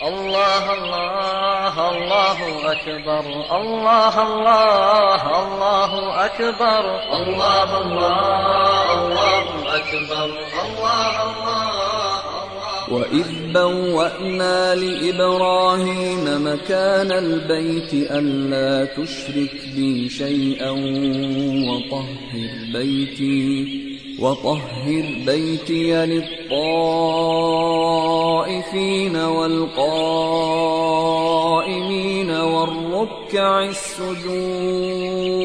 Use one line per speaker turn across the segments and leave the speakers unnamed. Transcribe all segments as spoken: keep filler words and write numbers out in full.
الله الله الله أكبر الله الله الله أكبر الله الله الله أكبر الله الله
وإذ بوأنا لإبراهيم مكان البيت ألا تشرك بي شيئا وطهر بيتي وطهر بيتي للطائفين والقائمين والركع السجود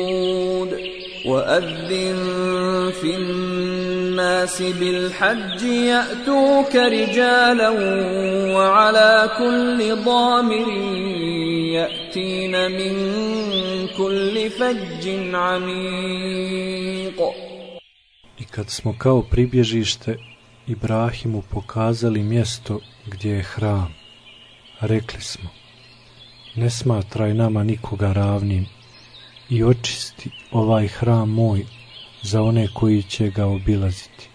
وأذن في الناس بالحج يأتوك رجالا وعلى كل ضامر يأتين من كل فج عميق.
I kad smo kao pribježište Ibrahimu pokazali mjesto gdje je hram, rekli smo, ne smatraj nama nikoga ravnim i očisti ovaj hram moj za one koji će ga obilaziti,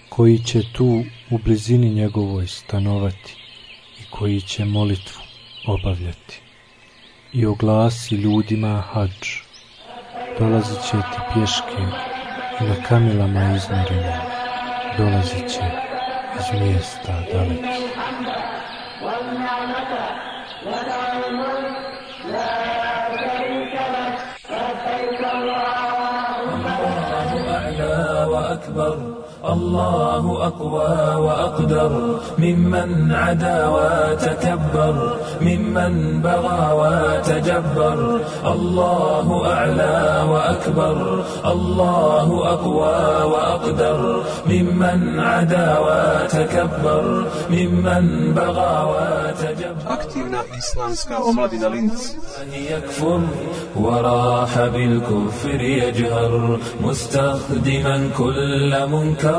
koji će tu u blizini njegovoj stanovati i koji će molitvu obavljati. I oglasi ljudima hadž, dolazit će ti pješke i na kamilama izmjerima, dolazit će iz mjesta dalekih.
الله أقوى وأقدر ممن عدا وتكبر ممن بغى وتجبر الله أعلى وأكبر الله أقوى وأقدر ممن عدا وتكبر ممن بغى وتجبر.
Aktivna islamska omladina Linz
يكفر وراح بالكفر يجهر مستخدما كل منكر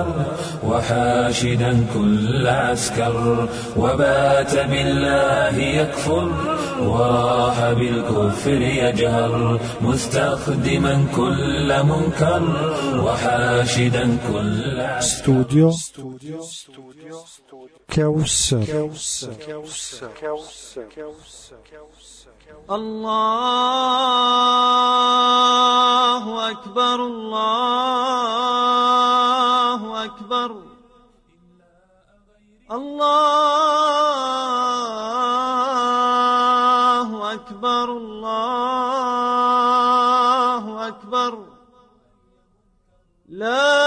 وحاشدا كل عسكر وبات بالله يكفر وراح بالكفر يجهر مستخدما كل منكر وحاشدا كل عسكر.
Studio
Kausar.
الله أكبر الله أكبر الله أكبر الله أكبر لا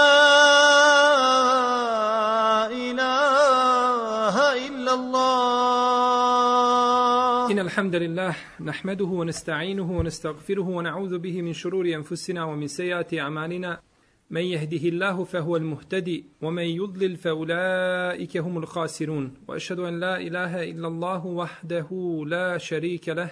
الحمد لله نحمده ونستعينه ونستغفره ونعوذ به من شرور أنفسنا ومن سيئات أعمالنا من يهده الله فهو المهتدي ومن يضلل فأولئك هم الخاسرون وأشهد أن لا إله إلا الله وحده لا شريك له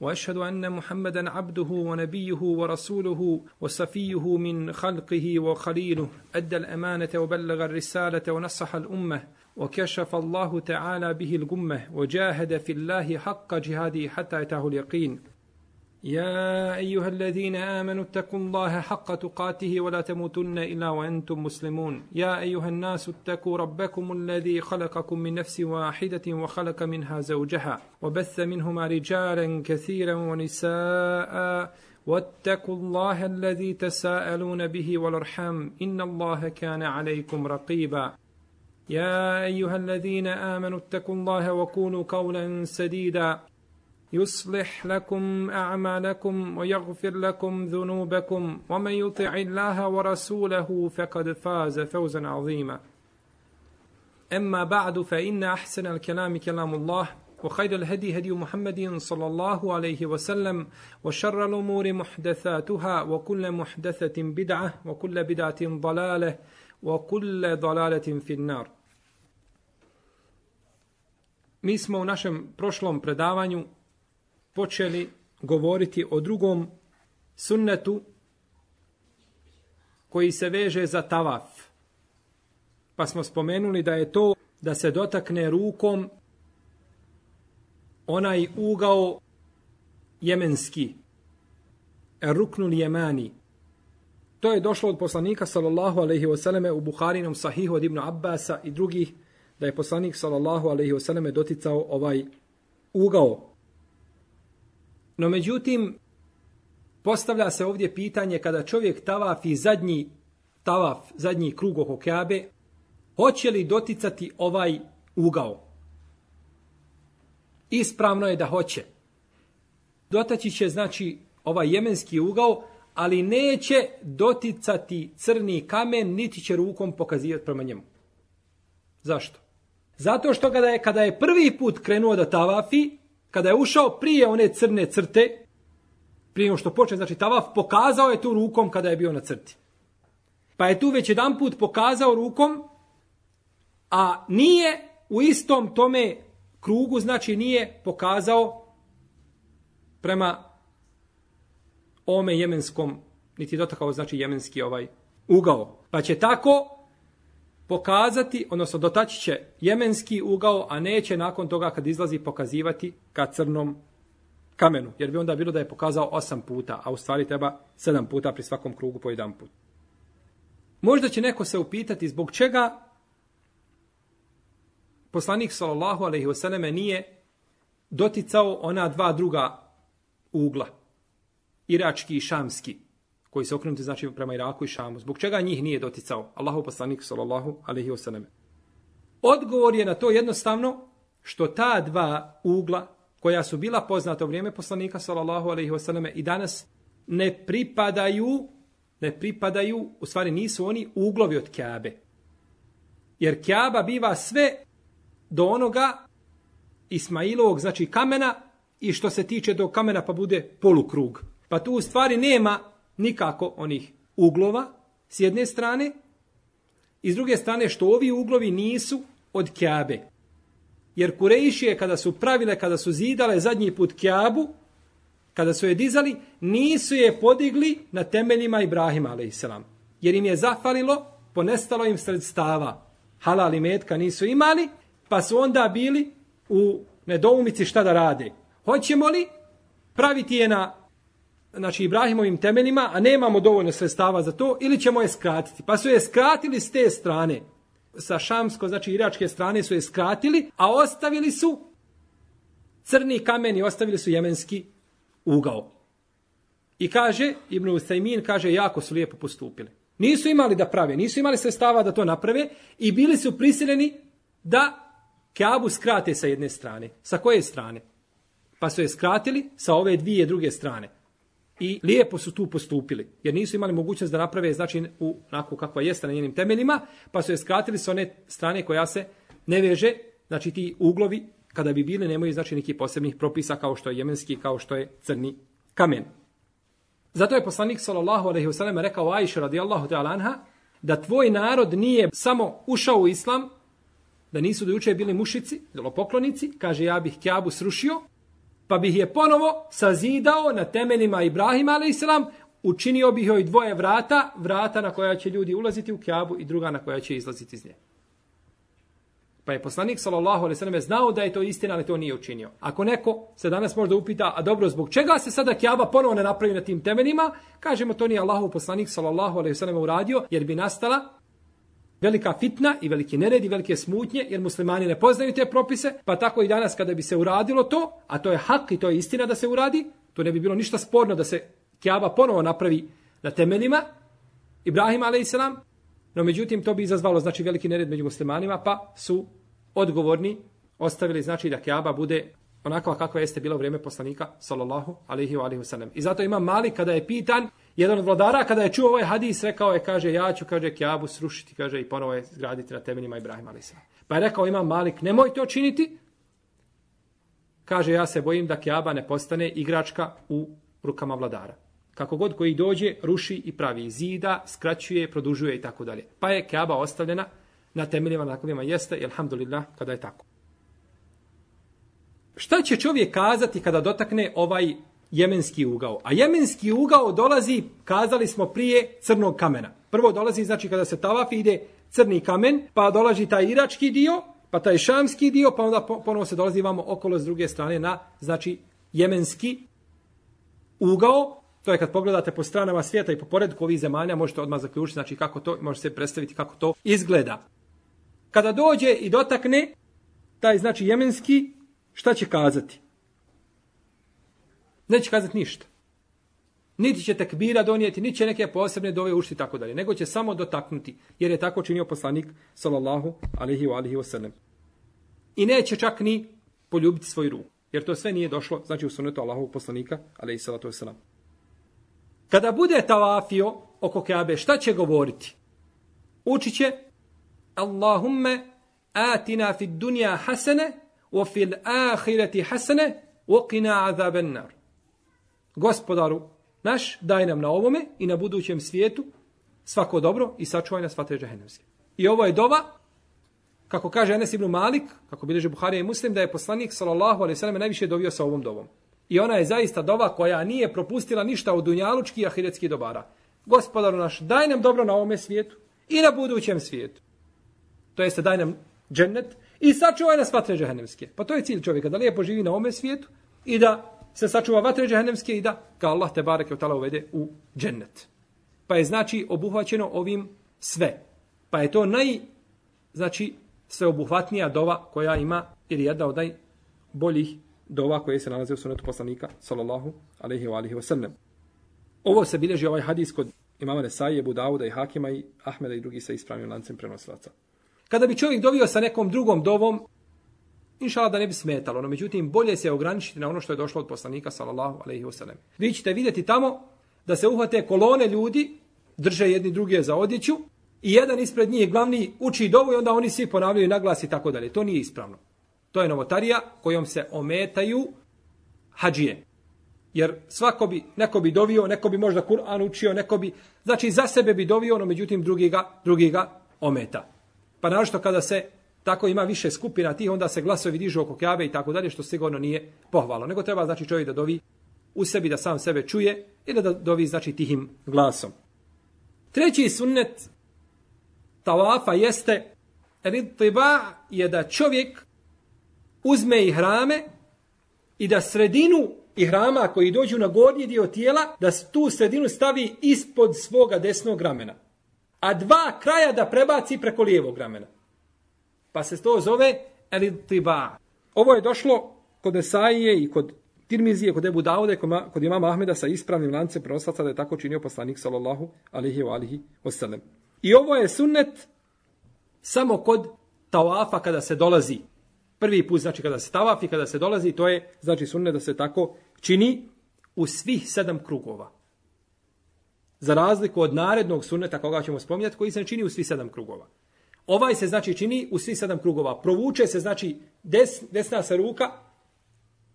وأشهد أن محمدا عبده ونبيه ورسوله وصفيه من خلقه وخليله أدى الأمانة وبلغ الرسالة ونصح الأمة وكشف الله تعالى به الغمة وجاهد في الله حق جهاده حتى أتاه اليقين. يا أيها الذين آمنوا اتقوا الله حق تقاته ولا تموتن إلا وأنتم مسلمون. يا أيها الناس اتقوا ربكم الذي خلقكم من نفس واحدة وخلق منها زوجها وبث منهما رجالا كثيرا ونساء واتقوا الله الذي تساءلون به والأرحام إن الله كان عليكم رقيبا. يا أيها الذين آمنوا اتقوا الله وقولوا قولا سديدا يصلح لكم أعمالكم ويغفر لكم ذنوبكم ومن يطع الله ورسوله فقد فاز فوزا عظيما. أما بعد فإن أحسن الكلام كلام الله وخير الهدي هدي محمد صلى الله عليه وسلم وشر الأمور محدثاتها وكل محدثة بدعة وكل بدعة ضلالة وكل ضلالة في النار. Mi smo u našem prošlom predavanju počeli govoriti o drugom sunnetu koji se veže za tavaf. Pa smo spomenuli da je to da se dotakne rukom onaj ugao jemenski, ruknul jemani. To je došlo od poslanika sallallahu alejhi ve selleme u Buharinom sahihu od Ibn Abbasa i drugih da je poslanik sallallahu alejhi ve selleme doticao ovaj ugao. No međutim, postavlja se ovdje pitanje kada čovjek tavafi zadnji tavaf, zadnji krug oko Kabe, hoće li doticati ovaj ugao? Ispravno je da hoće. Dotaći će, znači, ovaj jemenski ugao, ali neće doticati crni kamen, niti će rukom pokazivati prema njemu. Zašto? Zato što kada je, kada je prvi put krenuo da tavafi, kada je ušao prije one crne crte, prije što počne, znači tavaf, pokazao je tu rukom kada je bio na crti. Pa je tu već jedan put pokazao rukom, a nije u istom tome krugu, znači nije pokazao prema ome jemenskom, niti dotakao, znači jemenski ovaj ugao. Pa će tako pokazati, odnosno dotaći će jemenski ugao, a neće nakon toga kad izlazi pokazivati ka crnom kamenu. Jer bi onda bilo da je pokazao osam puta, a u stvari treba sedam puta pri svakom krugu po jedan put. Možda će neko se upitati zbog čega poslanik sallallahu alejhi ve selleme nije doticao ona dva druga ugla, irački i šamski, koji se okrenuti znači prema Iraku i Šamu. Zbog čega njih nije doticao Allahov poslanik sallallahu alejhi ve selleme? Odgovor je na to jednostavno što ta dva ugla koja su bila poznata u vrijeme poslanika sallallahu alejhi ve selleme i danas ne pripadaju, ne pripadaju, u stvari nisu oni uglovi od Kabe. Jer Kaaba biva sve do onoga Ismailovog, znači kamena, i što se tiče do kamena pa bude polukrug. Pa tu u stvari nema nikako onih uglova s jedne strane i s druge strane što ovi uglovi nisu od Kabe. Jer Kurejšije kada su pravile, kada su zidale zadnji put Kabu, kada su je dizali, nisu je podigli na temeljima Ibrahima alejselam. Jer im je zafalilo, ponestalo im sredstava. Halal i metka nisu imali, pa su onda bili u nedoumici šta da rade. Hoćemo li praviti je na znači Ibrahimovim temeljima, a nemamo dovoljno sredstava za to, ili ćemo je skratiti? Pa su je skratili s te strane. Sa šamsko, znači iračke strane su je skratili, a ostavili su crni kamen i ostavili su jemenski ugao. I kaže, Ibn Usajmin kaže, jako su lijepo postupili. Nisu imali da prave, nisu imali sredstava da to naprave i bili su prisiljeni da Kabu skrate sa jedne strane. Sa koje strane? Pa su je skratili sa ove dvije druge strane. I lijepo su tu postupili, jer nisu imali mogućnost da naprave, znači, u, onako kakva jeste na njenim temeljima, pa su je skratili sa one strane koja se ne veže, znači ti uglovi, kada bi bili, nemaju, znači, nekih posebnih propisa, kao što je jemenski, kao što je crni kamen. Zato je poslanik, sallallahu alejhi ve sellem, rekao Ajši radijallahu ta'ala anha, da tvoj narod nije samo ušao u islam, da nisu do juče bili mušici, poklonici, kaže, ja bih Kjabu srušio, pa bih je ponovo sazidao na temeljima Ibrahima alejselam, učinio bih joj dvoje vrata, vrata na koja će ljudi ulaziti u Kjabu i druga na koja će izlaziti iz nje. Pa je poslanik sallallahu alejhi ve sellem znao da je to istina, ali to nije učinio. Ako neko se danas možda upita, a dobro, zbog čega se sada Kjaba ponovo ne napravi na tim temeljima, kažemo, to nije Allahov poslanik sallallahu alejhi ve sellem uradio, jer bi nastala velika fitna i veliki nered i velike smutnje, jer muslimani ne poznaju te propise, pa tako i danas kada bi se uradilo to, a to je hak i to je istina da se uradi, to ne bi bilo ništa sporno da se Kjaba ponovo napravi na temeljima Ibrahima alejselam, no međutim to bi izazvalo, znači, veliki nered među muslimanima, pa su odgovorni ostavili, znači, da Kjaba bude onakva kakva jeste bila u vrijeme poslanika sallallahu alejhi ve sellem. I zato Imam Malik kada je pitan, jedan od vladara kada je čuo ovaj hadis, rekao je, kaže, ja ću, kaže, Kjabu srušiti, kaže, i ponovo je zgraditi na temeljima Ibrahima alejselam. Pa je rekao Imam Malik, nemoj to činiti. Kaže, ja se bojim da Kjaba ne postane igračka u rukama vladara. Kako god koji dođe, ruši i pravi zida, skraćuje, produžuje i tako dalje. Pa je Kjaba ostavljena na temeljima na kojima jeste, i alhamdulillah, kada je tako. Šta će čovjek kazati kada dotakne ovaj jemenski ugao? A jemenski ugao dolazi, kazali smo prije, crnog kamena. Prvo dolazi, znači, kada se tavafi, ide crni kamen, pa dolazi taj irački dio, pa taj šamski dio, pa onda ponovo se dolazi vamo okolo s druge strane na, znači, jemenski ugao. To je kad pogledate po stranama svijeta i po poredku ovih zemalja, možete odmah zaključiti, znači, kako to, možete se predstaviti kako to izgleda. kada dođe i dotakne taj znači jemenski, šta će kazati? Neće kazati ništa. Niti će tekbira donijeti, niti će neke posebne dove ušti tako dalje, nego će samo dotaknuti, jer je tako činio poslanik sallallahu alejhi ve alihi wasallam. I neće čak ni poljubiti svoju ruku, jer to sve nije došlo, znači u sunnetu Allahovog poslanika alejhi salatu vesselam. Kada bude tavafio oko Kabe, šta će govoriti? Učit će Allahumme atina fid dunja hasene wa fil ahireti hasene wa qina azaben nar. Gospodaru naš, daj nam na ovome i na budućem svijetu svako dobro i sačuvaj nas vatre džehennemske. I ovo je dova, kako kaže Enes ibn Malik, kako bilježe Buharija i Muslim, da je poslanik sallallahu alejhi ve sellem najviše dovio sa ovom dovom. I ona je zaista dova koja nije propustila ništa od dunjalučkih i ahiretskih dobara. Gospodaru naš, daj nam dobro na ovome svijetu i na budućem svijetu. To jeste, daj nam džennet i sačuvaj nas vatre džehennemske. Pa to je cilj čovjeka, da lijepo živi na ovome svijetu i da se sačuva vatre džehennemske i da ga Allah te bareke ve taala uvede u džennet. Pa je znači obuhvaćeno ovim sve. Pa je to naj znači sveobuhvatnija dova koja ima, ili jedna od najboljih dova koje se nalaze u sunnetu poslanika sallallahu alejhi ve alihi wasallam. Ovo se bilježi ovaj hadis kod imama Nesaije, Ebu Dauda i Hakima i Ahmeda i drugi sa ispravnim lancem prenosilaca. Kada bi čovjek dovio sa nekom drugom dovom, inšallah da ne bi smetalo, no međutim bolje se ograničiti na ono što je došlo od poslanika sallallahu alejhi ve sellem. Vi ćete vidjeti tamo da se uhvate kolone ljudi, drže jedni druge za odjeću i jedan ispred njih glavni uči dovu i onda oni svi ponavljaju naglas i tako dalje. To nije ispravno. To je novotarija kojom se ometaju hadžije. Jer svako bi, neko bi dovio, neko bi možda Kur'an učio, neko bi, znači za sebe bi dovio, no međutim drugi ga, drugi ga ometa. Pa naročito kada se tako ima više skupina tih, onda se glasovi dižu oko Kabe i tako dalje, što sigurno nije pohvalno. Nego treba znači čovjek da dovi u sebi, da sam sebe čuje ili da dovi znači tihim glasom. Treći sunnet tavafa jeste ridtiba, je da čovjek uzme ihrame i da sredinu ihrama koji dođu na gornji dio tijela, da tu sredinu stavi ispod svoga desnog ramena, a dva kraja da prebaci preko lijevog ramena. Pa se to zove ridtiba. Ovo je došlo kod Nesaije i kod Tirmizije, kod Ebu Daude, kod imama Ahmeda sa ispravnim lancem prenosilaca da je tako činio poslanik sallallahu alejhi ve alihi wasallam. I ovo je sunnet samo kod tavafa kada se dolazi. Prvi put znači kada se tavafi, kada se dolazi, to je znači sunnet da se tako čini u svih sedam krugova. Za razliku od narednog sunneta koga ćemo spominjati, koji se ne čini u svih sedam krugova. Ovaj se znači čini u svih sedam krugova. Provuče se znači des, desna se ruka,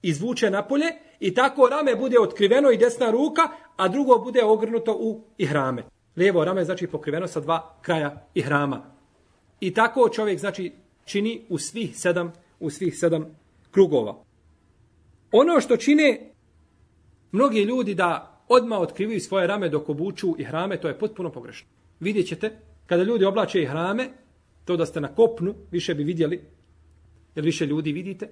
izvuče napolje i tako rame bude otkriveno i desna ruka, a drugo bude ogrnuto u ihrame. Lijevo rame znači pokriveno sa dva kraja ihrama. I tako čovjek znači čini u svih sedam, u svih sedam krugova. Ono što čine mnogi ljudi da odmah otkrivaju svoje rame dok obuču ihrame, to je potpuno pogrešno. Vidjet ćete, kada ljudi oblače ihrame, to da ste na kopnu, više bi vidjeli, jer više ljudi vidite,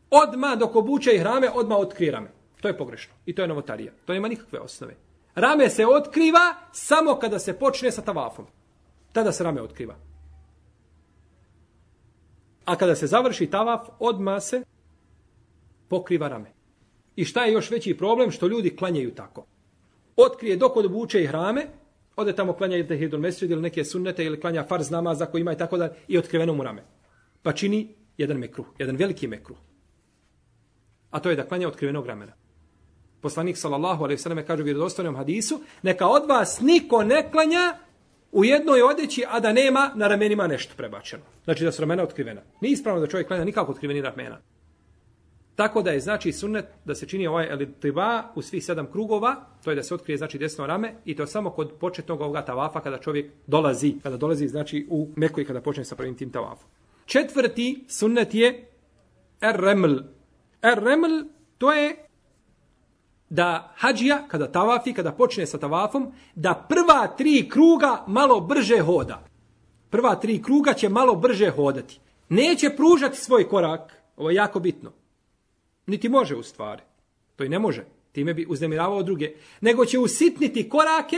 odmah dok obuče ihrame, odmah otkrije rame. To je pogrešno. I to je novotarija. To nema nikakve osnove. Rame se otkriva samo kada se počne sa tavafom. Tada se rame otkriva. A kada se završi tavaf, odmah se pokriva rame. I šta je još veći problem? Što ljudi klanjaju tako. Otkrije dok obuče ihrame, ode tamo klanja ili tehidul mesdžid ili neke sunnete ili klanja farz namaza koji ima i tako da i otkriveno mu rame. Pa čini jedan mekruh, jedan veliki mekruh. A to je da klanja otkrivenog ramena. Poslanik sallallahu alejhi ve sellem kaže u vjerodostojnom hadisu: neka od vas niko ne klanja u jednoj odjeći, a da nema na ramenima nešto prebačeno. Znači da su ramena otkrivena. Nije ispravno da čovjek klanja nikako otkriveni ramena. Tako da je znači sunnet da se čini ovaj elitiba u svih sedam krugova, to je da se otkrije znači desno rame i to samo kod početnog ovoga tavafa kada čovjek dolazi, kada dolazi znači u Meku i kada počne sa prvim tim tavafom. Četvrti sunnet je er-reml. Er-reml to je da hadžija kada tavafi, kada počne sa tavafom, da prva tri kruga malo brže hoda. Prva tri kruga će malo brže hodati. Neće pružati svoj korak, ovo je jako bitno. Niti može u stvari. To i ne može. Time bi uznemiravao druge. Nego će usitniti korake,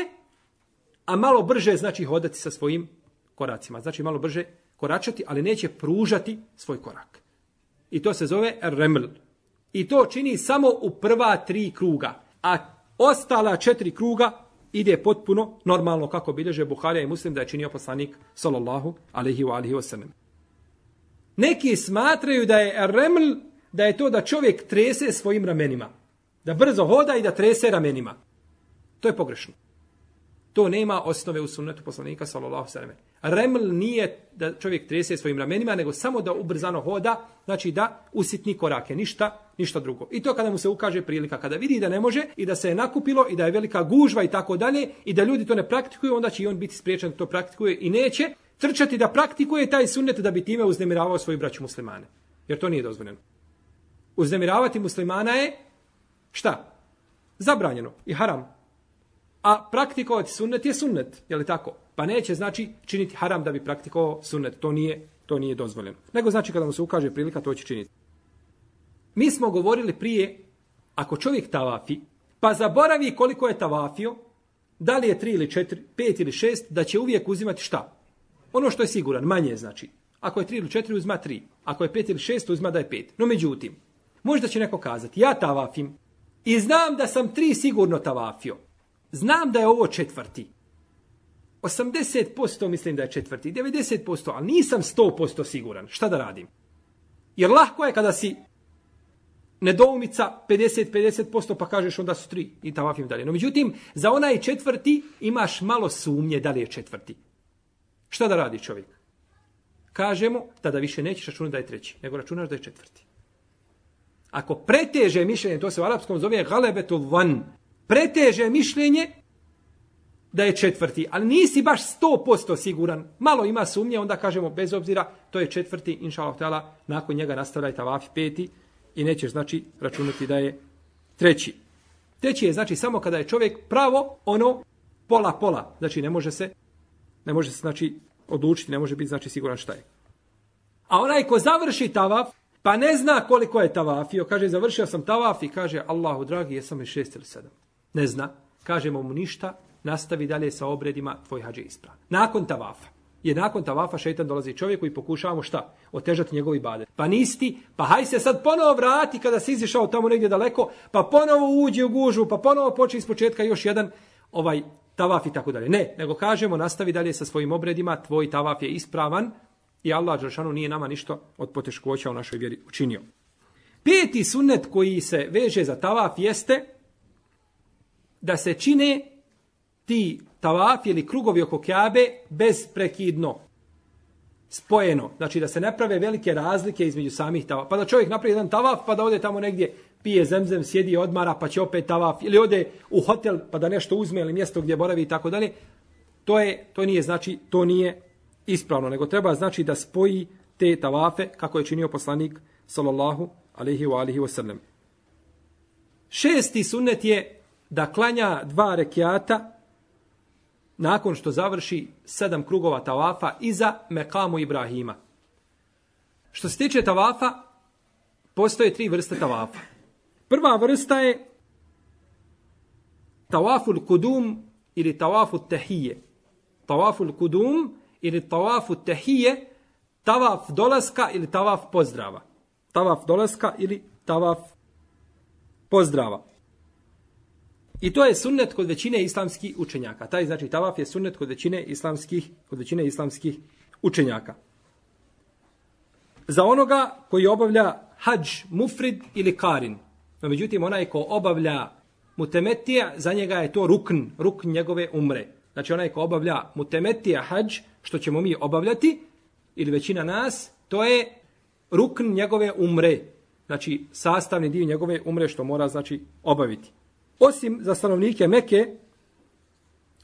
a malo brže znači hodati sa svojim koracima. Znači malo brže koračati, ali neće pružati svoj korak. I to se zove reml. I to čini samo u prva tri kruga. A ostala četiri kruga ide potpuno normalno kako bilježe Buharija i Muslim da je činio poslanik sallallahu alejhi ve alihi wasallam. Neki smatraju da je reml, da je to da čovjek trese svojim ramenima. Da brzo hoda i da trese ramenima. To je pogrešno. To nema osnove u sunnetu poslanika sallallahu alejhi ve sellem. Reml nije da čovjek trese svojim ramenima, nego samo da ubrzano hoda, znači da usitni korake, ništa, ništa drugo. I to kada mu se ukaže prilika, kada vidi da ne može i da se je nakupilo i da je velika gužva i tako dalje i da ljudi to ne praktikuju, onda će i on biti spriječen da to praktikuje i neće trčati da praktikuje taj sunnet da bi time uznemiravao svoju braću muslimane. Jer to nije dozvoljeno. Uznemiravati muslimana je šta? Zabranjeno i haram. A praktikovati sunnet je sunnet, je li tako? Pa neće znači činiti haram da bi praktikovao sunnet. To nije, to nije dozvoljeno. Nego znači kada mu se ukaže prilika, to će činiti. Mi smo govorili prije, ako čovjek tavafi, pa zaboravi koliko je tavafio, da li je tri ili četiri, pet ili šest, da će uvijek uzimati šta? Ono što je siguran, manje znači. Ako je tri ili četiri, uzma tri. Ako je pet ili šest, uzma da je pet. No međutim, možda će neko kazati, ja tavafim i znam da sam tri sigurno tavafio. Znam da je ovo četvrti. osamdeset posto mislim da je četvrti, devedeset posto, ali nisam sto posto siguran. Šta da radim? Jer lahko je kada si nedoumica pedeset pedeset posto pa kažeš onda su tri i tavafim dalje. No međutim, za onaj četvrti imaš malo sumnje da li je četvrti. Šta da radi čovjek? Kažemo, tada više nećeš računati da je treći, nego računaš da je četvrti. Ako preteže mišljenje, to se u arapskom zove galebetul van, preteže mišljenje da je četvrti, ali nisi baš sto posto siguran, malo ima sumnje, onda kažemo bez obzira, to je četvrti, inša Allah ta'ala, nakon njega nastavljaj tavafi peti i nećeš znači računati da je treći. Treći je znači samo kada je čovjek pravo ono pola pola, znači ne može se ne može se znači odlučiti, ne može biti znači siguran šta je. A onaj ko završi tavaf, pa ne zna koliko je tavafio, kaže završio sam tavaf i kaže Allahu dragi, jesam li šest ili sedam. Ne zna, kažemo mu ništa, nastavi dalje sa obredima, tvoj hađ je ispravan. Nakon tavafa. Jer nakon tavafa šejtan dolazi čovjeku i pokušavamo šta? Otežati njegov ibadet. Pa nisi, pa haj se sad ponovo vrati kada si izišao tamo negdje daleko, pa ponovo uđi u gužu, pa ponovo počne iz početka još jedan ovaj tavaf i tako dalje. Ne, nego kažemo nastavi dalje sa svojim obredima, tvoj tavaf je ispravan i Allah dželešanu nije nama ništa od poteškoća u našoj vjeri učinio. Peti sunnet koji se veže za tavaf jeste da se čine ti tavafi ili krugovi oko Kjabe bezprekidno, spojeno. Znači da se ne prave velike razlike između samih tavafa. Pa da čovjek napravi jedan tavaf pa da ode tamo negdje, pije zemzem, sjedi i odmara pa će opet tavaf. Ili ode u hotel pa da nešto uzme ili mjesto gdje boravi i tako dalje. To je, to nije znači, to nije ispravno. Nego treba znači da spoji te tavafe kako je činio poslanik sallallahu alejhi ve alihi wasallam. Šesti sunnet je da klanja dva rekiata nakon što završi sedam krugova tavafa iza mekamu Ibrahima. Što se tiče tavafa, postoje tri vrste tavafa. Prva vrsta je tavaful kudum ili tavaful tehije. Tavaful kudum ili tavaful tehije, tavaf dolaska ili tavaf pozdrava. Tavaf dolaska ili tavaf pozdrava. I to je sunnet kod većine islamskih učenjaka. Taj znači tavaf je sunnet kod većine islamskih, kod većine islamskih učenjaka. Za onoga koji obavlja hadž, mufrid ili karin. No, međutim, onaj ko obavlja mutemetija, za njega je to rukn, rukn njegove umre. Znači onaj ko obavlja mutemetija hadž, što ćemo mi obavljati, ili većina nas, to je rukn njegove umre. Znači sastavni dio njegove umre što mora znači obaviti. Osim za stanovnike Mekke,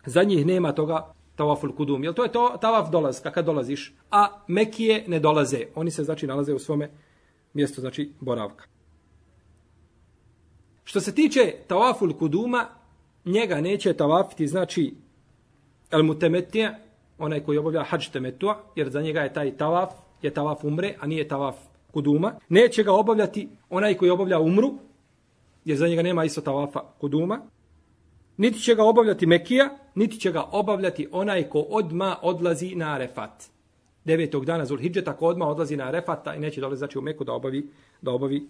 za njih nema toga tavaful kudum. Jer to je to tavaf dolazka kad dolaziš, a Mekije ne dolaze. Oni se znači nalaze u svome mjestu, znači boravka. Što se tiče tavaful kuduma, njega neće tavafiti, znači el mutemetija, onaj koji obavlja hadž temetua, jer za njega je taj tavaf, je tavaf umre, a nije tavaf kuduma. Neće ga obavljati onaj koji obavlja umru, jer za njega nema isto tavafa kuduma. niti će ga obavljati Mekija, niti će ga obavljati onaj ko odma odlazi na Arefat. Devetog dana Zulhidžeta ko odma odlazi na Arefat i neće dolaziti znači u Meku da obavi, da obavi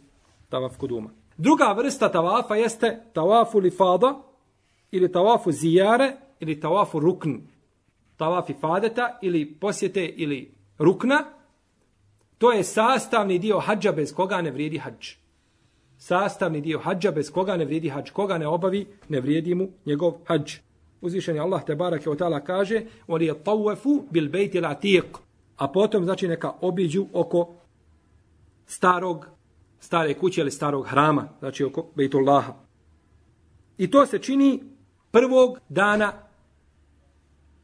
tavaf kuduma. Druga vrsta tavafa jeste tavafu lifada ili tavafu zijare ili tavafu rukn. Tavaf ifadeta ili posjete ili rukna. To je sastavni dio hadža bez koga ne vrijedi hadž. Sastavni dio hadža bez koga ne vrijedi hadž. Koga ne obavi, ne vrijedi mu njegov hadž. Uzvišeni Allah te barake o ta'ala kaže وَلِيَ طَوَّفُوا بِالْبَيْتِ الْعَتِيقِ. A potom znači neka obiđu oko starog, stare kuće ili starog hrama, znači oko Bejtullaha. I to se čini prvog dana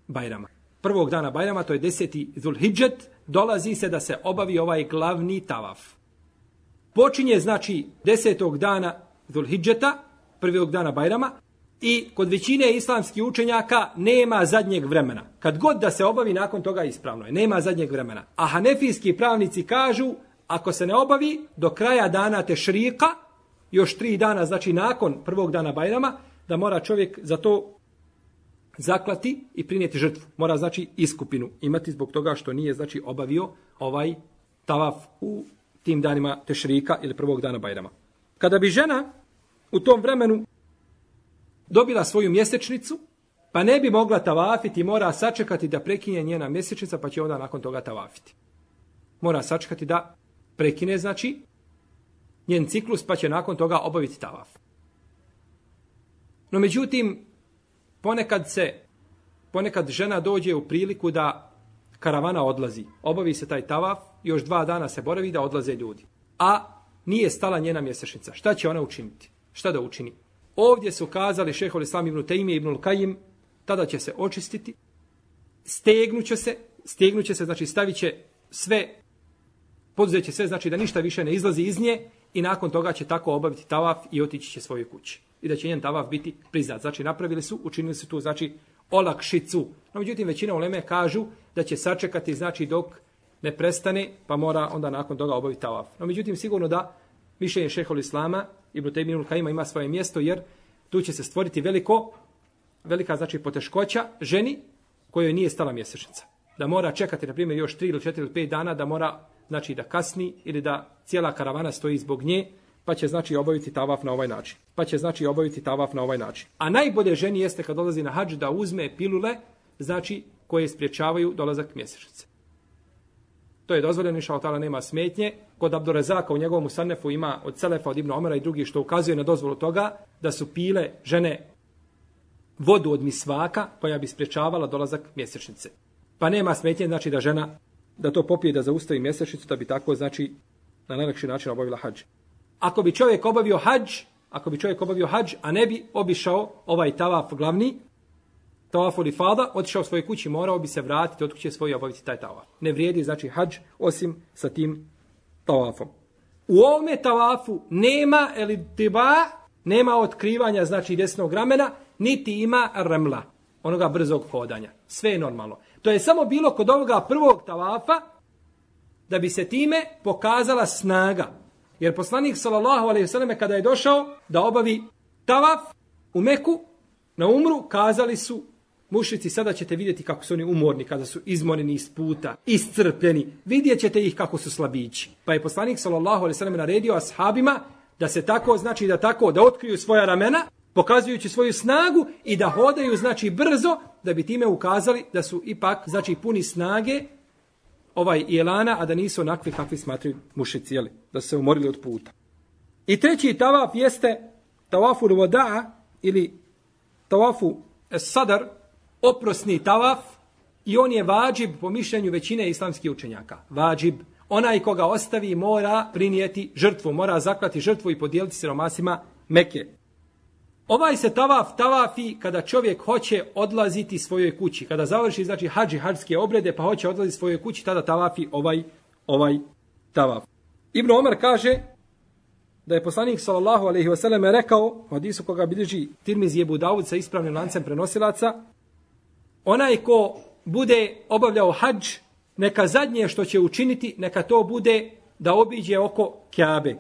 Bajrama. Prvog dana Bajrama, to je deseti Zulhidžet, dolazi se da se obavi ovaj glavni tavaf. Počinje znači desetog dana Zulhidžeta, prvog dana Bajrama, i kod većine islamskih učenjaka nema zadnjeg vremena. Kad god da se obavi, nakon toga ispravno je. Nema zadnjeg vremena. A hanefijski pravnici kažu, ako se ne obavi do kraja dana tešrika, još tri dana, znači nakon prvog dana Bajrama, da mora čovjek za to zaklati i prinijeti žrtvu. Mora znači iskupinu imati zbog toga što nije znači obavio ovaj tavaf u tim danima tešrika ili prvog dana Bajrama. Kada bi žena u tom vremenu dobila svoju mjesečnicu, pa ne bi mogla tavafiti, mora sačekati da prekine njena mjesečnica, pa će onda nakon toga tavafiti. Mora sačekati da prekine, znači, njen ciklus, pa će nakon toga obaviti tavaf. No međutim, ponekad se, ponekad žena dođe u priliku da karavana odlazi. Obavi se taj tavaf, još dva dana se boravi da odlaze ljudi. A nije stala njena mjesečnica. Šta će ona učiniti? Šta da učini? Ovdje su kazali šejhul Islam ibn Tejmije ibn Kajim, tada će se očistiti, stegnuće se, stegnuće se, znači stavit će sve, poduzeće sve, znači da ništa više ne izlazi iz nje i nakon toga će tako obaviti tavaf i otići će svojoj kući. I da će njen tavaf biti priznat. Znači napravili su, učinili su tu, znači, olakšicu. No međutim, većina uleme kažu da će sačekati, znači dok ne prestane, pa mora onda nakon toga obaviti tavaf. No međutim, sigurno da mišljenje šejhul Islama Ibn Tejmije ibn Kajima ima svoje mjesto, jer tu će se stvoriti veliko, velika znači poteškoća ženi kojoj nije stala mjesečnica. Da mora čekati, na primjer, još tri ili četiri ili pet dana, da mora, znači, da kasni ili da cijela karavana stoji zbog nje, pa će, znači, obaviti tavaf na ovaj način. Pa će, znači, obaviti tavaf na ovaj način. A najbolje ženi jeste kad dolazi na hadž da uzme pilule, znači, koje spriječavaju dolazak mjesečnice. To je dozvoljeno, inšallah ta'ala, nema smetnje. Kod Abdurazaka u njegovom Musannefu ima od Selefa, od Ibn Omara i drugih što ukazuje na dozvolu toga da su pile žene vodu od misvaka koja bi spriječavala dolazak mjesečnice. Pa nema smetnje, znači da žena da to popije, da zaustavi mjesečnicu, da bi tako, znači, na najlakši način obavila hadž. Ako bi čovjek obavio hadž, ako bi čovjek obavio hadž, a ne bi obišao ovaj tavaf glavni, tavaf ili fada, otišao u svojoj kući, morao bi se vratiti od kuće svoje i obaviti taj tavaf. Ne vrijedi, znači, hadž osim sa tim tavafom. U ovome tavafu nema elitiba, nema otkrivanja, znači, desnog ramena, niti ima remla, onoga brzog hodanja. Sve je normalno. To je samo bilo kod ovoga prvog tavafa da bi se time pokazala snaga. Jer poslanik sallallahu alejhi ve selleme kada je došao da obavi tavaf u Meku na umru, kazali su mušrici, sada ćete vidjeti kako su oni umorni, kada su izmoreni iz puta, iscrpljeni, vidjet ćete ih kako su slabići. Pa je poslanik sallallahu alejhi ve selleme naredio ashabima da se tako, znači da tako, da otkriju svoja ramena, pokazujući svoju snagu i da hodaju, znači, brzo, da bi time ukazali da su ipak, znači, puni snage ovaj jelana, a da nisu onakvi kakvi smatraju mušici, jeli, da su se umorili od puta. I treći tavaf jeste tavafu al-wada' ili tavafu sadar, oprosni tavaf, i on je vađib po mišljenju većine islamskih učenjaka. Vađib. Onaj koga ostavi mora prinijeti žrtvu, mora zaklati žrtvu i podijeliti siromasima Mekke. Ovaj se tavaf tavafi kada čovjek hoće odlaziti svojoj kući. Kada završi, znači, hadž i hadžske obrede, pa hoće odlaziti svojoj kući, tada tavafi ovaj, ovaj tavaf. Ibn Omar kaže da je poslanik sallallahu alejhi ve selleme rekao, u hadisu koga bilježi Tirmizi i Ebu Davud sa ispravnim lancem prenosilaca, onaj ko bude obavljao hadž, neka zadnje što će učiniti, neka to bude da obiđe oko Kjabe.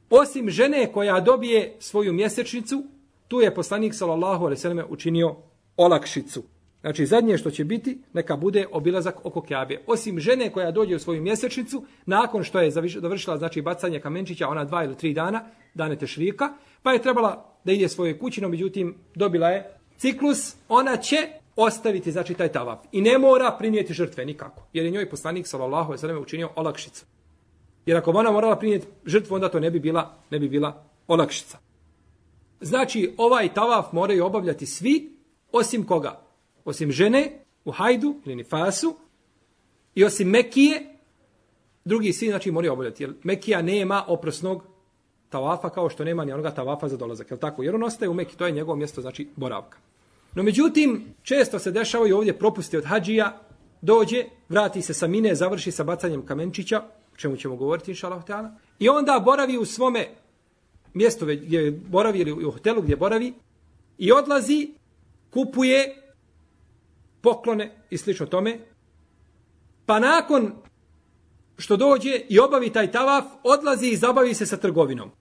Osim žene koja dobije svoju mjesečnicu tu je poslanik sallallahu alejhi ve selleme učinio olakšicu. Znači zadnje što će biti, neka bude obilazak oko Kjabe. Osim žene koja dođe u svoju mjesečnicu, nakon što je završila znači bacanje kamenčića, ona dva ili tri dana, dane tešrika, pa je trebala da ide svojoj kući, no međutim dobila je ciklus, ona će ostaviti znači taj tavaf i ne mora prinijeti žrtve nikako, jer je njoj poslanik sallallahu alejhi ve selleme učinio olakšicu. Jer ako ona morala prinijeti žrtvu, onda to ne bi bila, ne bi bila olakšica. Znači ovaj tavaf moraju obavljati svi, osim koga? Osim žene u hajdu ili nifasu i osim Mekije, drugi svi znači moraju obavljati. Jer Mekija nema oprosnog tavafa kao što nema ni onoga tavafa za dolazak. Jel tako? Jer on ostaje u Meki, to je njegovo mjesto znači boravka. No međutim, često se dešavaju ovdje propusti od hadžija, dođe, vrati se sa Mine, završi sa bacanjem kamenčića, o čemu ćemo govoriti inšallah ta'ala, i onda boravi u svome mjestu gdje boravi ili u hotelu gdje boravi i odlazi, kupuje poklone i slično tome, pa nakon što dođe i obavi taj tavaf, odlazi i zabavi se sa trgovinom.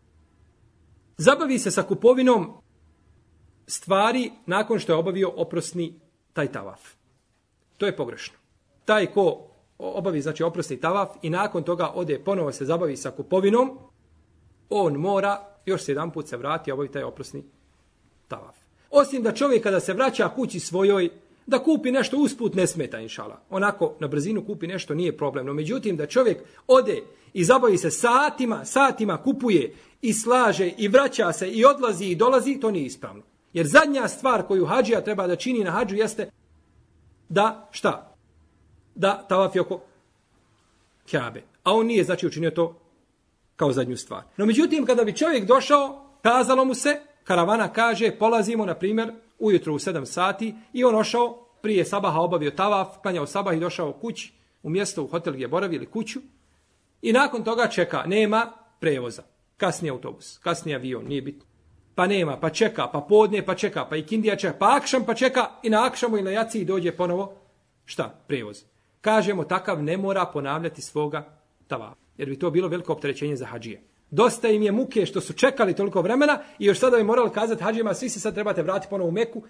Zabavi se sa kupovinom stvari nakon što je obavio oprosni taj tavaf. To je pogrešno. Taj ko obavi znači oprosni tavaf i nakon toga ode ponovo se zabavi sa kupovinom, on mora još se jedan put se vrati i obavi taj oprosni tavaf. Osim da čovjek kada se vraća kući svojoj, da kupi nešto usput ne smeta inšala. Onako na brzinu kupi nešto nije problem. No međutim da čovjek ode i zabavi se satima, satima kupuje i slaže i vraća se i odlazi i dolazi, to nije ispravno. Jer zadnja stvar koju hadžija treba da čini na hadžu jeste da šta? Da tavafi oko Kjabe. A on nije znači učinio to kao zadnju stvar. No međutim kada bi čovjek došao, kazalo mu se, karavana kaže polazimo na primjer ujutro u sedam sati i on ošao prije sabaha obavio tavaf, klanjao sabah i došao kući u mjesto u hotel gdje boravi ili kuću i nakon toga čeka, nema prevoza. Kasni autobus, kasni avion, nije bitno. Pa nema, pa čeka, pa podne, pa čeka, pa i kindija čeka, pa akšam, pa čeka i na akšamu i na jaciji dođe ponovo, šta, prevoz. Kažemo, takav ne mora ponavljati svoga tavafa, jer bi to bilo veliko opterećenje za hadžije. Dosta im je muke što su čekali toliko vremena i još sada bi morali kazati hadžijama, svi se sad trebate vratiti ponovo u Meku,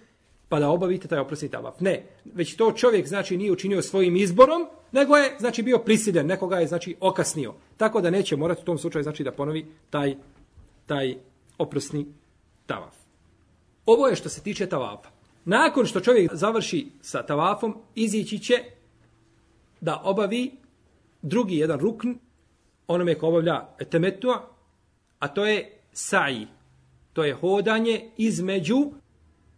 pa da obavite taj oprosni tavaf. Ne, već to čovjek znači nije učinio svojim izborom, nego je znači bio prisiljen, nekoga je znači okasnio. Tako da neće morati u tom slučaju znači da ponovi taj, taj oprosni tavaf. Ovo je što se tiče tavafa. Nakon što čovjek završi sa tavafom, izići će da obavi drugi jedan rukn, onome ko obavlja temetua, a to je sa'i. To je hodanje između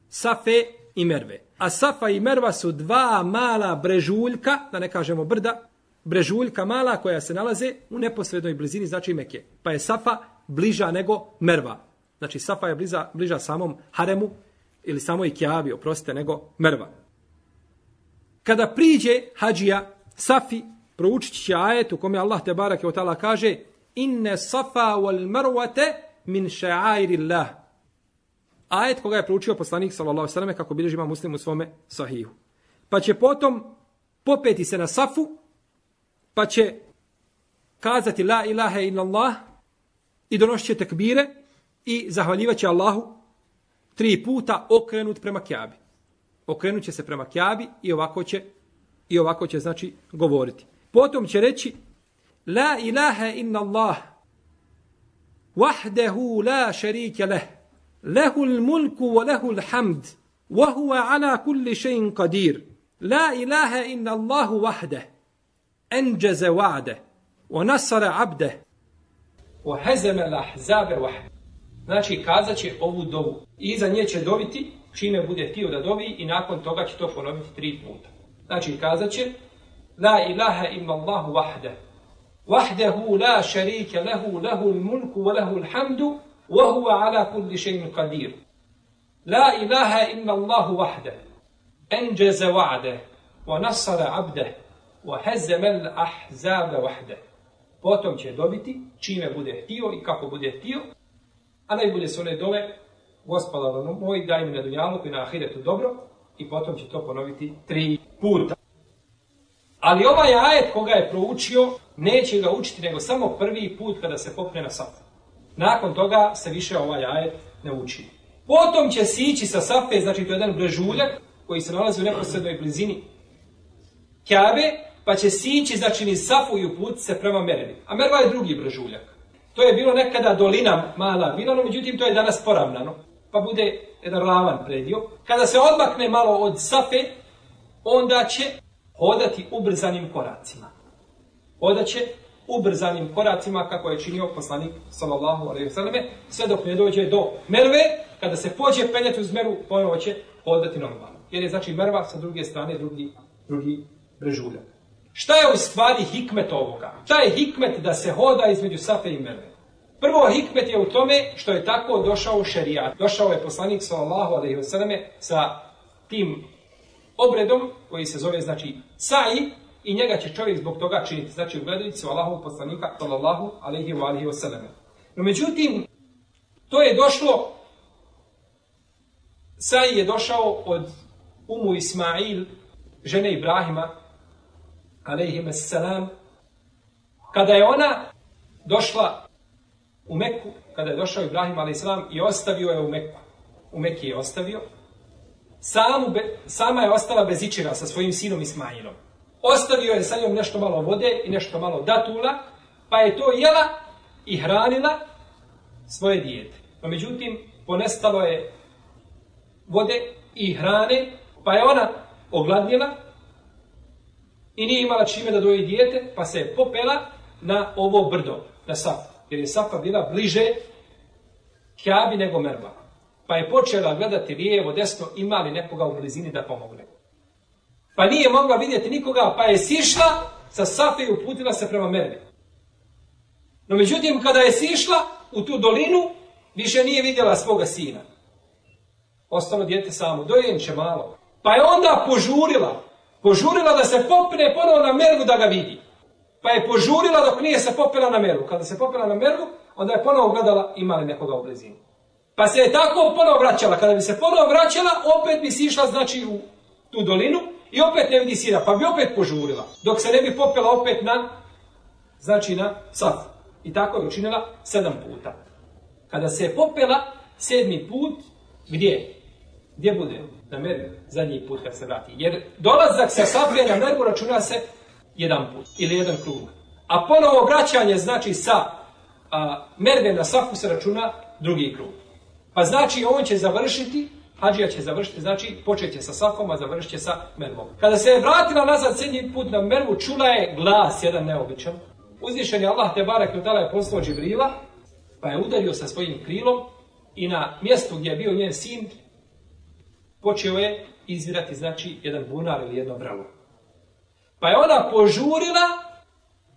Safe i Merve. A Safa i Merva su dva mala brežuljka, da ne kažemo brda, brežuljka mala koja se nalaze u neposrednoj blizini, znači Mekke. Pa je Safa bliža nego Merva. Znači Safa je bliža, bliža samom haremu ili samoj Kjabi, oprostite, nego Merva. Kada priđe hadžija Safi, proučit će ajet u kome Allah te barake o ta'ala kaže inne safa wal marwate min ša'airillah. Ajet koga je proučio poslanik sallallahu alejhi ve selleme kako bilježi Imam Muslim u svome sahihu. Pa će potom popeti se na Safu, pa će kazati la ilaha illallah i donosit će tekbire i zahvaljivat će Allahu tri puta okrenut prema Kjabi. Okrenut će se prema Kjabi i ovako će, i ovako će znači govoriti. Potom će reći la ilaha illallah wahdahu la sharika leh lehu l-mulku wa lehu l-hamd wa huwa ala kulli shay'in qadir la ilaha illallahu wahdah anjaza wa'dah wa nasara 'abdah wa hazama al-ahzaba wahdah. Znači kazat će ovu dovu i iza nje će doviti čime bude htio da dovi i nakon toga će to ponoviti tri puta. Znači kazat će la ilaha illallahu wahdah wahdahu la sharika lahu lahu al-mulku wa lahu al-hamdu wa huwa ala kulli shay'in qadir la ilaha illallahu wahdah anjaza wa'dah wa nasara 'abdah wa hazama al-ahzaba wahdah. Potom će dobiti čime bude htio i kako bude htio, a najbolje su one dove Gospodaru moj, daj mi na dunjaluku i na ahiretu dobro, i potom će to ponoviti tri puta. Ali ovaj ajet koga je proučio, neće ga učiti nego samo prvi put kada se popne na Safu. Nakon toga se više ovaj ajet ne uči. Potom će sići sa Safe, znači to je jedan brežuljak koji se nalazi u neposrednoj blizini Kjabe, pa će sići, znači niz Safu i uputiti se prema Mervi. A Merva je drugi brežuljak. To je bilo nekada dolina mala bila, no međutim to je danas poravnano, pa bude jedan ravan predio. Kada se odmakne malo od Safe, onda će hodati ubrzanim koracima. Hodat će ubrzanim koracima kako je činio poslanik sallallahu alejhi ve selleme, sve dok ne dođe do Merve. Kada se pođe penjati uz Mervu, ponovo će hodati normalno. Jer je znači Merva sa druge strane drugi, drugi brežuljak. Šta je u stvari hikmet ovoga? Šta je hikmet da se hoda između Safe i Merve? Prvo, hikmet je u tome što je tako došao šerijat. Došao je poslanik sallallahu alejhi ve selleme sa tim obredom koji se zove znači sa'i i njega će čovjek zbog toga činiti. Znači u gledavici Allahovog poslanika sallallahu alejhi ve selleme. No međutim, to je došlo, sa'i je došao od Umu Ismail, žene Ibrahima alejhi selam, kada je ona došla u Meku, kada je došao Ibrahim alejhi selam i ostavio je u Meku. U Meki je ostavio. Samu be, sama je ostala bez ičega sa svojim sinom Ismailom. Ostavio je sa njom nešto malo vode i nešto malo datula, pa je to jela i hranila svoje dijete. No međutim, ponestalo je vode i hrane, pa je ona ogladnjela i nije imala čime da doji dijete, pa se je popela na ovo brdo, na Safu. Jer je Safa bila bliže Kjabi nego Merva. Pa je počela gledati lijevo, desno, ima li nekoga u blizini da pomogne. Pa nije mogla vidjeti nikoga, pa je sišla sa Safe i uputila se prema Mervi. No međutim, kada je sišla u tu dolinu, više nije vidjela svoga sina. Ostalo dijete samo, dojenče malo. Pa je onda požurila, požurila da se popne ponovo na Mervu da ga vidi. Pa je požurila dok nije se popela na Mervu. Kada se popela na Mervu, onda je ponovo gledala ima li nekoga u blizini. Pa se je tako ponovo vraćala. Kada bi se ponovo vraćala, opet bi sišla znači u tu dolinu i opet ne vidi sina, pa bi opet požurila. Dok se ne bi popela opet na, znači na Safu. I tako je učinila sedam puta. Kada se je popela sedmi put, gdje? Gdje bude? Na Mervu. Zadnji put kad se vrati. Jer dolazak sa Safe na Mervu računa se jedan put ili jedan krug. A ponovo vraćanje znači sa a, Merve na Safu se računa drugi krug. Pa znači on će završiti, hadžija će završiti, znači počet će sa Safom, a završit će sa Mervom. Kada se je vratila nazad sedmi put na Mervu, čula je glas jedan neobičan. Uzvišen je Allah te barek i ta'ala je poslao Džibrila, pa je udario sa svojim krilom i na mjestu gdje je bio njen sin počeo je izvirati znači jedan bunar ili jedno vrelo. Pa je ona požurila,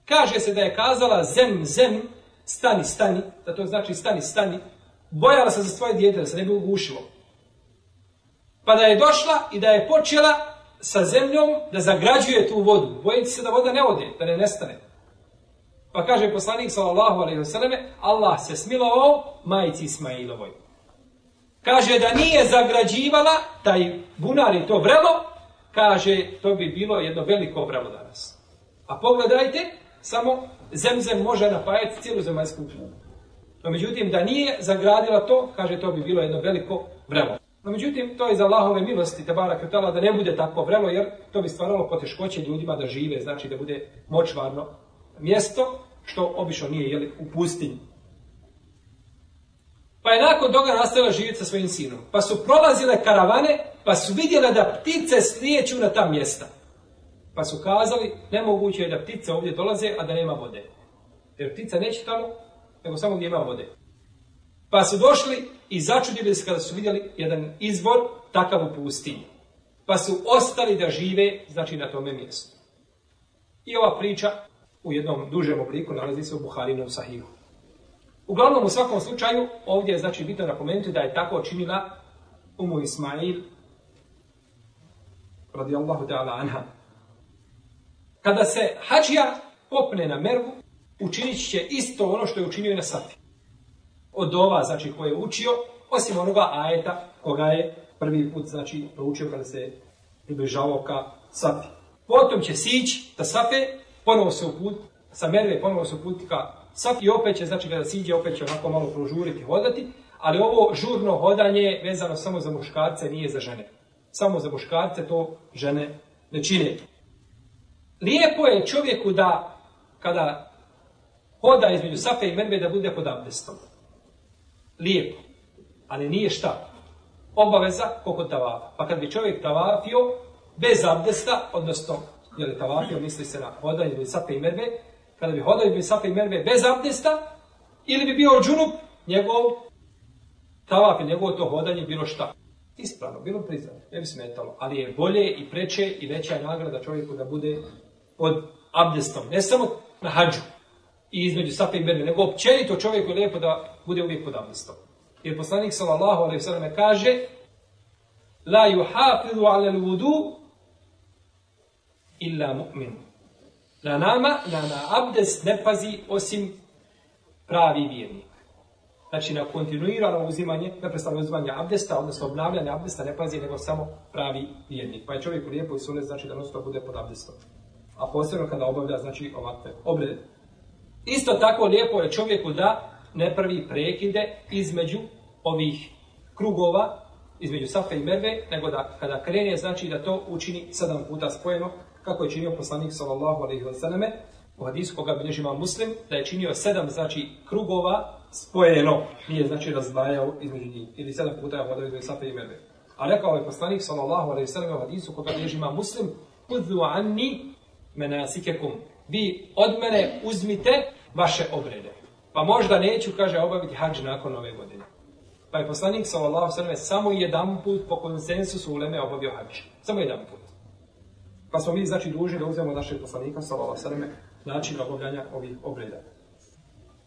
kaže se da je kazala zem, zem, stani, stani, da to znači stani, stani, bojala se za svoje dijete, da se ne bi ugušilo. Pa da je došla i da je počela sa zemljom da zagrađuje tu vodu, bojeći se da voda ne ode, da ne nestane. Pa kaže poslanik sallallahu alejhi ve selleme, Allah se smilovao majci Ismailovoj. Kaže da nije zagrađivala taj bunar i to vrelo, kaže, to bi bilo jedno veliko vrelo danas. A pogledajte, samo zemzem može napajati cijelu zemaljsku kuglu. No međutim, da nije zagradila to, kaže, to bi bilo jedno veliko vrelo. No međutim, to je za Allahove milosti, te barak tala, da ne bude takvo vrelo, jer to bi stvaralo poteškoće ljudima da žive, znači da bude močvarno mjesto, što obično nije jeli, u pustinji. Pa je nakon toga nastavila živjeti sa svojim sinom. Pa su prolazile karavane, pa su vidjele da ptice slijeću na ta mjesta. Pa su kazali, nemoguće je da ptice ovdje dolaze, a da nema vode. Jer ptica neće tamo, nego samo gdje ima vode. Pa su došli i začudili se kada su vidjeli jedan izvor takav u pustinji. Pa su ostali da žive, znači na tome mjestu. I ova priča u jednom dužem obliku nalazi se u Buharinu Sahihu. Uglavnom, u svakom slučaju, ovdje je znači bitno napomenuti da je tako činila Umu Ismail, radijallahu ta'ala anha. Kada se hadžija popne na Mervu, učinit će isto ono što je učinio i na Safi. Od ova, znači, koje je učio, osim onoga ajeta koga je prvi put, znači, proučio kada se približavao ka Safi. Potom će sići ta Safe, ponovo se uput, sa Merve ponovo se uputi ka Safi i opet će, znači, kada siđe, opet će onako malo prožuriti, hodati, Ali ovo žurno hodanje je vezano samo za muškarce, nije za žene. Samo za muškarce to žene ne čine. Lijepo je čovjeku da, kada hoda između Safe i Merve, da bude pod abdestom. Lijepo. Ali nije šta? Obaveza koliko tavafa. Pa kad bi čovjek tavafio bez abdesta, odnosno, je li tavafio, misli se na hodanje između Safe i Merve, kada bi hodao između Safe i Merve bez abdesta, ili bi bio džunup, njegov tavaf i njegovo to hodanje bilo šta? Ispravno, bilo priznano, ne bi smetalo. Ali je bolje i preče i veća nagrada čovjeku da bude pod abdestom. Ne samo na hadžu i između Safe i Merve, nego općenito čovjeku je lijepo da bude uvijek pod abdestom. Jer poslanik sallallahu alejhi ve sellem kaže: la yuhafizu ala al-wudu illa mu'min. Na nama, na, na abdest ne pazi osim pravi vjernik. Znači na kontinuirano uzimanje, neprestano uzimanje abdesta, odnosno obnavljanje abdesta ne pazi nego samo pravi vjernik. Pa je čovjek lijepo i sunet, znači da non-stop bude pod abdestom. A posebno kada obavlja, znači, ovakve obrede. Isto tako lijepo je čovjeku da ne pravi prekide između ovih krugova, između Safe i Merve, nego da kada krene, znači da to učini sedam puta spojeno, kako je činio poslanik sallallahu alejhi ve selleme, u hadisu koga bilježi Imam Muslim, da je činio sedam, znači, krugova spojeno, nije, znači, razdvajao između njih, ili sedam puta je hodao između Safe i Merve. A rekao je poslanik sallallahu alejhi ve selleme u hadisu koga bilježi Imam Muslim: "Khudhu anni manasikakum." Vi od mene uzmite vaše obrede. Pa možda neću, kaže, obaviti hadž nakon ove godine. Pa je poslanik sallallahu alejhi ve selleme samo jedan put po konsensusu uleme obavio hadž. Samo jedan put. Pa smo mi, znači, dužni da uzmemo našeg poslanika sallallahu alejhi ve selleme način obavljanja ovih obreda.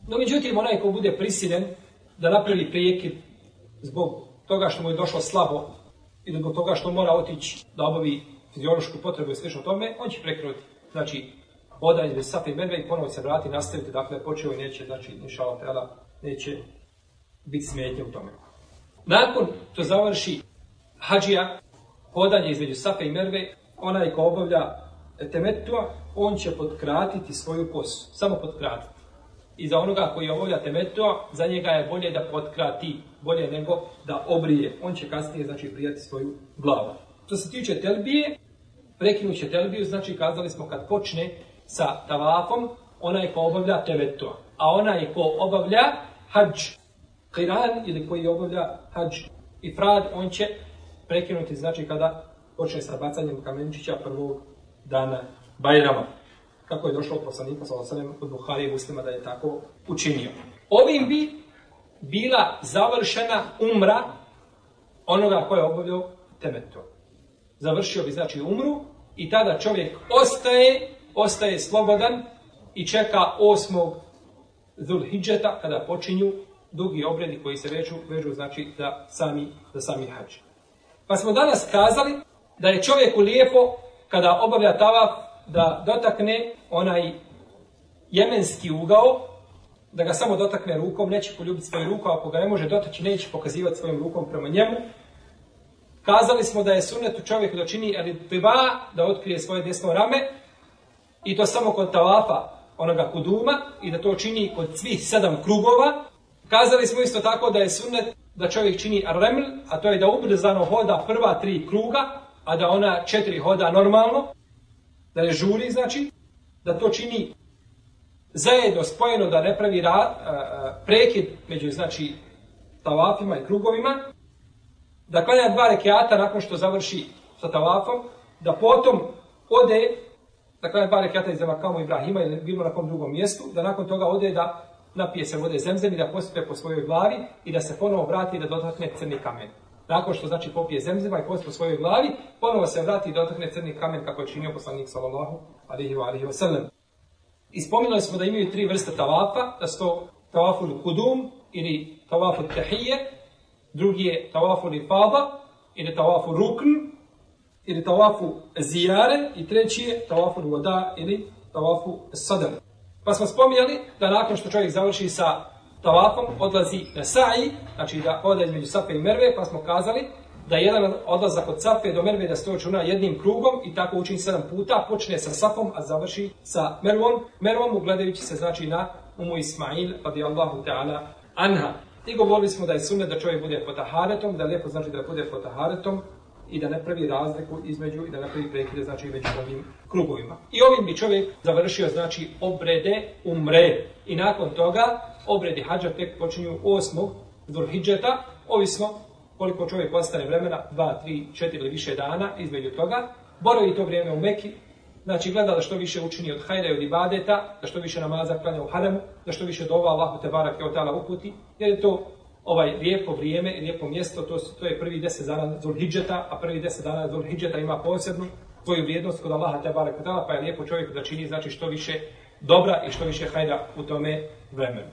No, međutim, onaj ko bude prisiljen da napravi prekid zbog toga što mu je došlo slabo ili zbog toga što mora otići da obavi fiziološku potrebu i slično tome, on će prekinuti, znači, hodanje bez Safe i Merve i ponovo se vrati, nastaviti, dakle, počeo i neće, znači, inšallah teala, neće biti smetnje u tome. Nakon to završi hadžija, hodanje između Safe i Merve, onaj ko obavlja temetua, on će potkratiti svoju kosu, samo potkratiti. I za onoga koji obavlja temetua, za njega je bolje da potkrati, bolje nego da obrije. On će kasnije, znači, brijati svoju glavu. Što se tiče telbije, prekinut će telbiju, znači, kazali smo kad počne sa tavafom, onaj ko obavlja temetua. A onaj ko obavlja hadž qiran ili koji obavlja hadž ifrad, on će prekinuti, znači, kada počne sa bacanjem kamenčića prvog dana Bajrama. Kako je došlo od poslanika sallallahu alejhi ve sellem od Buhari i Muslima da je tako učinio. Ovim bi bila završena umra onoga ko je obavljao temetu. Završio bi, znači, umru i tada čovjek ostaje, ostaje slobodan i čeka osmog Zulhidžeta kada počinju dugi obredi koji se vežu, vežu znači, za sami, za sami hadž. Pa smo danas kazali da je čovjeku lijepo kada obavlja tavaf da dotakne onaj jemenski ugao, da ga samo dotakne rukom, neće poljubiti svoju ruku, ako ga ne može dotaći, neće pokazivati svojom rukom prema njemu. Kazali smo da je sunnetu čovjeku da čini al-ittiba, da otkrije svoje desno rame, i to samo kod tavafa onoga kuduma, i da to čini kod svih sedam krugova. Kazali smo isto tako da je sunnet da čovjek čini ar-reml, a to je da ubrzano hoda prva tri kruga, a da ona četiri hoda normalno, da je žuri, znači, da to čini zajedno, spojeno, da ne pravi ra, a, a, prekid među, znači, tavafima i krugovima, da klanja dva rekiata nakon što završi sa tavafom, da potom ode, da klanja dva rekiata iz Makamu Ibrahima ili bilo na kom drugom mjestu, da nakon toga ode da napije se vode zemzem i da posipe po svojoj glavi i da se ponovo vrati i da dotakne crni kamen. Nakon što, znači, popije zemzema i posipe po svojoj glavi, ponovo se vrati i dotakne crni kamen kako je činio poslanik sallallahu alejhi ve sellem. Ispominuli smo da imaju tri vrste tavafa, da su to tavaful kudum ili tavaful tahije, drugi je tavaful ifada ili tavaful rukn ili tavaful zijare i treći je tavaful voda ili tavaful sadr. Pa smo spominjali da nakon što čovjek završi sa tavafom odlazi na sa'i, znači da ode između Safe i Merve, pa smo kazali da jedan odlazak od Safe do Merve da se to računa jednim krugom i tako učini sedam puta, počne sa Safom, a završi sa Mervom, Mervom ugledajući se, znači, na Umu Ismail radijallahu ta'ala anha. I govorili smo da je sunnet da čovjek bude pod taharetom, da je lijepo znači da bude pod taharetom i da ne pravi razliku između i da ne pravi prekide znači među ovim krugovima. I ovim bi čovjek završio znači obrede umre. I nakon toga obredi hadža tek počinju osmog Zulhidžeta, ovisno koliko čovjek ostane vremena, dva, tri, četiri ili više dana između toga. Boravi to vrijeme u Meki, znači gleda da što više učini od hajra i od ibadeta, da što više namaza klanja u haremu, da što više dova Allahu te barake od ta'ala uputi, jer je to ovaj lijepo vrijeme i lijepo mjesto, to, to je prvi deset dana Zulhidžeta, a prvi deset dana Zulhidžeta ima posebnu svoju vrijednost kod Allaha te barake od ta'ala, pa je lijepo čovjeku da čini znači što više dobra i što više hajra u tome vremenu.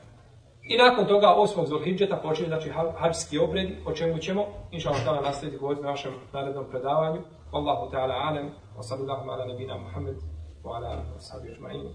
I nakon toga osmog Zulhidžeta počinje znači hadžski obredi, o čemu ćemo inšallah ta'ala nastaviti govoriti na našem narednom predavanju. Wallahu ta'ala alam, wa sallallahu ala nabina Muhammed wa ala alihi wa sahbihi ajma'in.